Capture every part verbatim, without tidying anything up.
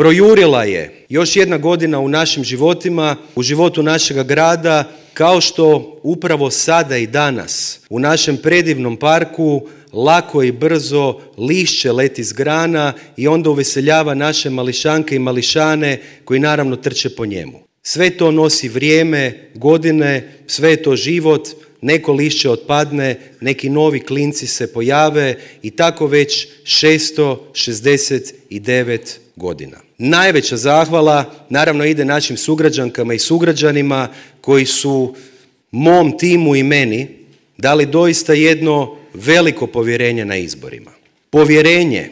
Projurila je još jedna godina u našim životima, u životu našega grada, kao što upravo sada i danas u našem predivnom parku lako i brzo lišće leti s grana i onda uveseljava naše mališanke i mališane koji naravno trče po njemu. Sve to nosi vrijeme, godine, sve je to život, neko lišće otpadne, neki novi klinci se pojave i tako već šesto šezdeset devet godina. Najveća zahvala naravno ide našim sugrađankama i sugrađanima koji su mom timu i meni dali doista jedno veliko povjerenje na izborima. Povjerenje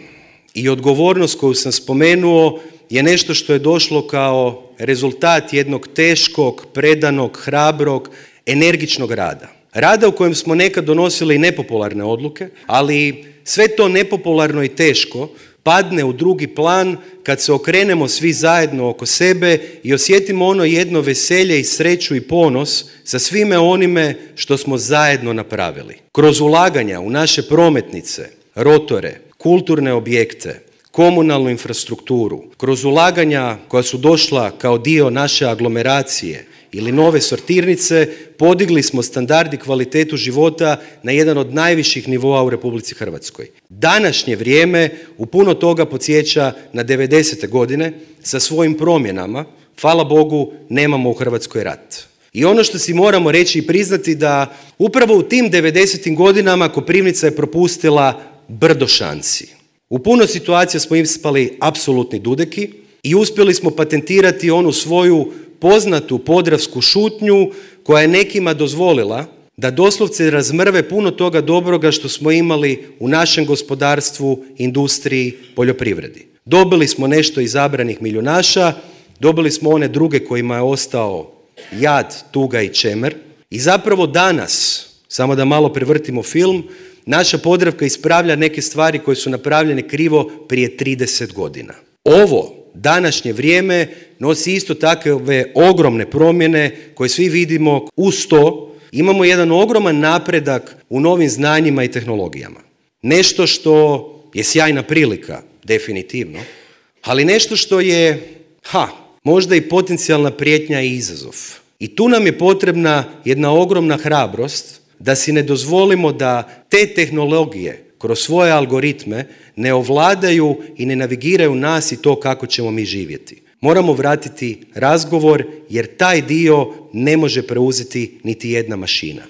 i odgovornost koju sam spomenuo je nešto što je došlo kao rezultat jednog teškog, predanog, hrabrog, energičnog rada. Rada u kojem smo nekad donosili nepopularne odluke, ali sve to nepopularno i teško padne u drugi plan kad se okrenemo svi zajedno oko sebe i osjetimo ono jedno veselje i sreću i ponos sa svime onime što smo zajedno napravili. Kroz ulaganja u naše prometnice, rotore, kulturne objekte, komunalnu infrastrukturu, kroz ulaganja koja su došla kao dio naše aglomeracije ili nove sortirnice, podigli smo standard i kvalitetu života na jedan od najviših nivoa u Republici Hrvatskoj. Današnje vrijeme u puno toga podsjeća na devedesete godine sa svojim promjenama. Hvala Bogu, nemamo u Hrvatskoj rat. I ono što si moramo reći i priznati da upravo u tim devedesetim godinama Koprivnica je propustila brdo šansi. U puno situacija smo ispali apsolutni dudeki i uspjeli smo patentirati onu svoju poznatu podravsku šutnju koja je nekima dozvolila da doslovce razmrve puno toga dobroga što smo imali u našem gospodarstvu, industriji, poljoprivredi. Dobili smo nešto izabranih milijunaša, dobili smo one druge kojima je ostao jad, tuga i čemer i zapravo danas, samo da malo prevrtimo film, naša Podravka ispravlja neke stvari koje su napravljene krivo prije trideset godina. Ovo današnje vrijeme nosi isto takve ogromne promjene koje svi vidimo. Uz to imamo jedan ogroman napredak u novim znanjima i tehnologijama. Nešto što je sjajna prilika, definitivno, ali nešto što je, ha, možda i potencijalna prijetnja i izazov. I tu nam je potrebna jedna ogromna hrabrost da si ne dozvolimo da te tehnologije kroz svoje algoritme ne ovladaju i ne navigiraju nas i to kako ćemo mi živjeti. Moramo vratiti razgovor jer taj dio ne može preuzeti niti jedna mašina.